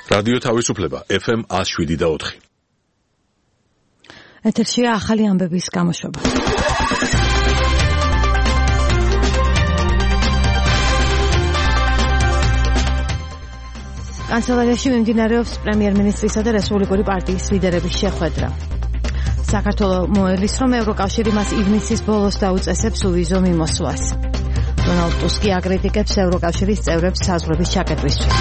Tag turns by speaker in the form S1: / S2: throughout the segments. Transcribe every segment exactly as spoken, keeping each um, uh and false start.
S1: რადიო თავისუფლება ეფ ემ one oh seven და four.
S2: ეთერშია ახალი ამბების გამოშვება. კანცელარიაში მიმდინარეობს პრემიერ-მინისტრისა და რესპუბლიკური პარტიის ლიდერების შეხვედრა. საქართველოს მოელის, რომ ევროკავშირი მას ივნისის ბოლოს დაუწესებს უვიზო მიმოსვლას. დონალდ ტუსკი აკრიტიკებს ევროკავშირის წევრებს საზღვრების ჩაკეტვისთვის.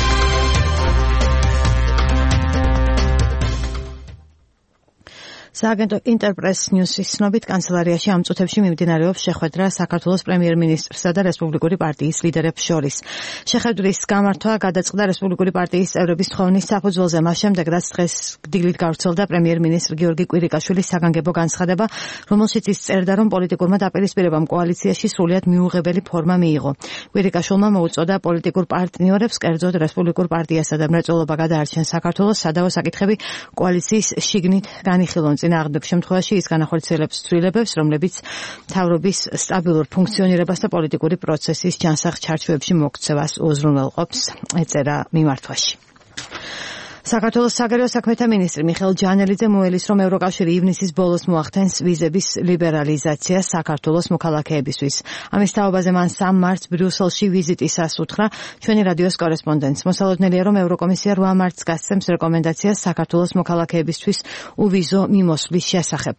S2: სააგენტო ინტერპრეს ნიუსის ცნობით კანცელარიაში ამ წუთებში მიმდინარეობს შეხვედრა საქართველოს პრემიერ-მინისტრსა და რესპუბლიკური პარტიის ლიდერებს შორის. შეხვედრის გამართვა გადაწყდა რესპუბლიკური პარტიის წევრების თხოვნის საფუძველზე, მას შემდეგ, რაც დღეს დილით გავრცელდა პრემიერ-მინისტრ გიორგი კვირიკაშვილის საგანგებო განცხადება, რომელშიც ის წერდა, რომ პოლიტიკურმა დაპირისპირებამ კოალიციაში სრულიად მიუღებელი ფორმა მიიღო. კვირიკაშვილმა მოუწოდა პოლიტიკურ პარტნიორებს, კერძოდ რესპუბლიკურ პარტიასა და მრეწველობა გადაარჩენ საქართველოს სადავო საკითხები კოალიციის შიგნით განიხილონ. წინააღმდეგ შემთხვევაში ის განახორციელებს ცვლილებებს, რომლებიც მთავრობის სტაბილურ ფუნქციონირებას და პოლიტიკური პროცესის ჯანსაღ ჩარჩოებში მოქცევას უზრუნველყოფს, ეწერა მიმართვაში. საქართველოს საგარეო საქმეთა მინისტრი მიხეილ ჯანელიძე მოელის, რომ ევროკავშირი ივნისის ბოლოს მოახდენს ვიზების ლიბერალიზაციას საქართველოს მოქალაქეებისთვის. ამის თაობაზე მან სამ მარტს ბრიუსელში ვიზიტისას უთხრა ჩვენი რადიოს კორესპონდენტს. მოსალოდნელია, რომ ევროკომისია რვა მარტს გასცემს რეკომენდაციას საქართველოს მოქალაქეებისთვის უვიზო მიმოსვლის შესახებ.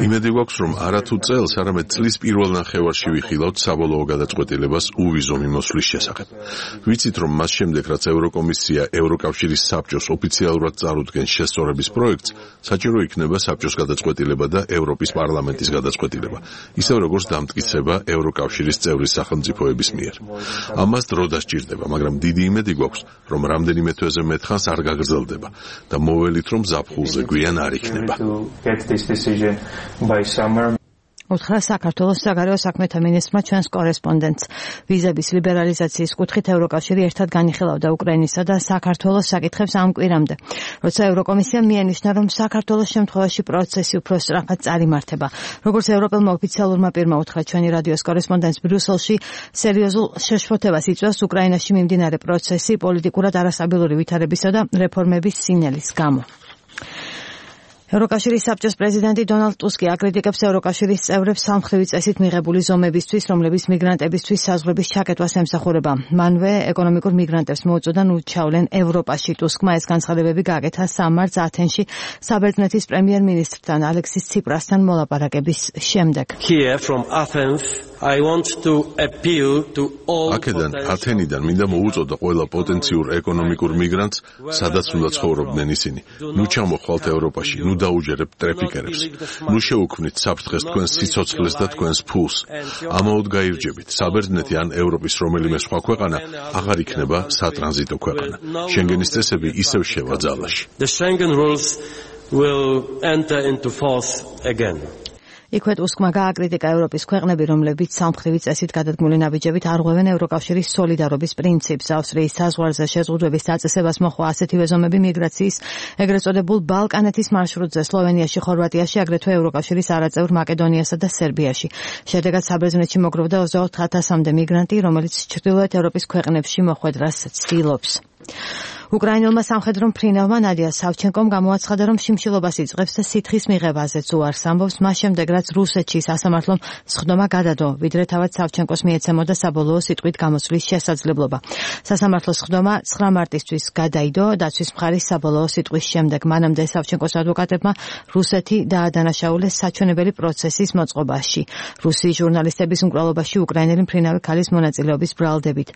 S1: იმედი გვაქვს, რომ არათუ წელს, არამედ წლის პირველ ნახევარში ვიხილავთ საბოლოო გადაწყვეტილებას უვიზო მიმოსვლის შესახებ. ვიცით, რომ მას შემდეგ, რაც ევროკომისია ევროკავშირის საბჭოს ოფიციალურად წარუდგენს შესწორების პროექტს, საჭირო იქნება საბჭოს გადაწყვეტილება და ევროპის პარლამენტის გადაწყვეტილება, ისევ როგორც დამტკიცება ევროკავშირის წევრი სახელმწიფოების მიერ. ამას დრო დასჭირდება, მაგრამ დიდი იმედი გვაქვს, რომ რამდენიმე თვეზე მეტხანს არ გაგრძელდება და მოველით, რომ ზაფხულზე გვიან არ იქნება.
S2: უთხრა საქართველოს საგარეო საქმეთა მინისტრმა ჩვენს კორესპონდენტს. ვიზების ლიბერალიზაციის კუთხით ევროკავშირი ერთად განიხილავდა უკრაინისა და საქართველოს საკითხებს ამ კვირამდე, როცა ევროკომისიამ მიანიშნა, რომ საქართველოს შემთხვევაში პროცესი უფრო სწრაფად წარიმართება. როგორც ევროპელმა ოფიციალურმა პირმა უთხრა ჩვენი რადიოს კორესპონდენტს, ბრიუსელში სერიოზულ შეშფოთებას იწვევს უკრაინაში მიმდინარე პროცესი პოლიტიკურად არასტაბილური ვითარებისა და რეფორმების სინელის გამო. ევროკავშირის საბჭოს პრეზიდენტი დონალდ ტუსკი აკრიტიკებს ევროკავშირის წევრებს სამხრივი წესით მიღებული ზომებისთვის, რომლებიც მიგრანტებისთვის საზღვრების ჩაკეტვას ემსახურება. მანვე ეკონომიკურ მიგრანტებს მოუწოდა ნუ ჩავლენ ევროპაში. ტუსკმა ეს განცხადებები გააკეთა სამ მარტს ათენში საბერძნეთის პრემიერ-მინისტრთან ალექსის ციპრასთან მოლაპარაკების შემდეგ.
S1: აქედან ათენიდან მინდა მოუწოდა ყველა პოტენციურ ეკონომიკურ მიგრანტს, სადაც უნდა ცხოვრობდნენ ისინი. ნუ ჩამოხვალთ ევროპაში, ნუ დაუჯერებთ ტრეფიკერებს. ნუ შეუქმნით საფრთხეს თქვენს სიცოცხლეს და თქვენს ფულს. ამაოდ გაირჯებით, საბერძნეთი ან ევროპის რომელიმე სხვა ქვეყანა აღარ იქნება სატრანზიტო ქვეყანა. შენგენის წესები ისევ შევა ძალაში.
S2: იქვე ტუსკმა გააკრიტიკა ევროპის ქვეყნები, რომლებიც სამხრივი წესით გადადგმული ნაბიჯებით არღვევენ ევროკავშირის სოლიდარობის პრინციპს. ავსტრიის საზღვარზე შეზღუდვების დაწესებას მოხდა ასეთივე ზომები მიგრაციის ეგრეთ წოდებულ ბალკანეთის მარშრუტზე, სლოვენიაში, ხორვატიაში, აგრეთვე ევროკავშირის არაწევრ მაკედონიასა და სერბიაში. შედეგად საბერძნეთში მოგროვდა ოცდაოთხ ათასამდე მიგრანტი, რომელიც ჩრდილოეთ ევროპის ქვეყნებში მოხვედრას ცდილობს. უკრაინელმა სამხედრო მფრინავმა ნადია სავჩენკომ გამოაცხადა, რომ შიმშილობას იწყებს და სითხის მიღებაზეც უარს ამბობს, მას შემდეგ, რაც რუსეთში სასამართლომ სხდომა გადადო, ვიდრე თავად სავჩენკოს მიეცემოდა საბოლოო სიტყვით გამოსვლის შესაძლებლობა. სასამართლოს სხდომა ცხრა მარტისთვის გადაიდო დაცვის მხარის საბოლოო სიტყვის შემდეგ. მანამდე სავჩენკოს ადვოკატებმა რუსეთი დაადანაშაულეს საჩვენებელი პროცესის მოწყობაში, რუსი ჟურნალისტების მკვლელობაში უკრაინელი მფრინავი ქალის მონაწილეობის ბრალდებით.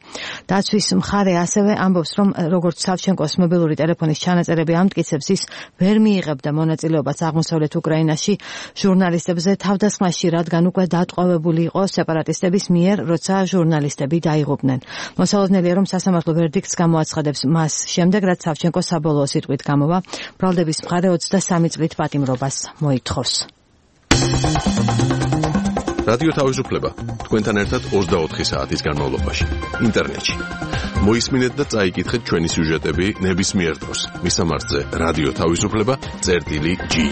S2: დაცვის მხარე ასევე ამბობს, რომ როგორც სავჩენკოს მობილური ტელეფონის ჩანაწერები ამტკიცებს, ის ვერ მიიღებდა მონაწილეობას აღმოსავლეთ უკრაინაში ჟურნალისტებზე თავდასხმაში, რადგან უკვე დატყვევებული იყო სეპარატისტების მიერ, როცა ჟურნალისტები დაიღუპნენ. მოსალოდნელია, რომ სასამართლო ვერდიქტს გამოაცხადებს მას შემდეგ, რაც სავჩენკო საბოლოო სიტყვით გამოვა, ბრალდების მხარე ოცდასამი წლით პატიმრობას მოითხოვს.
S1: რადიო თავისუფლება თქვენთან ერთად ოცდაოთხი საათის განმავლობაში ინტერნეტში. მოისმინეთ და წაიკითხეთ ჩვენი სიუჟეტები ნებისმიერ დროს. მისამართზე რადიო თავისუფლება წერტილი ჯი.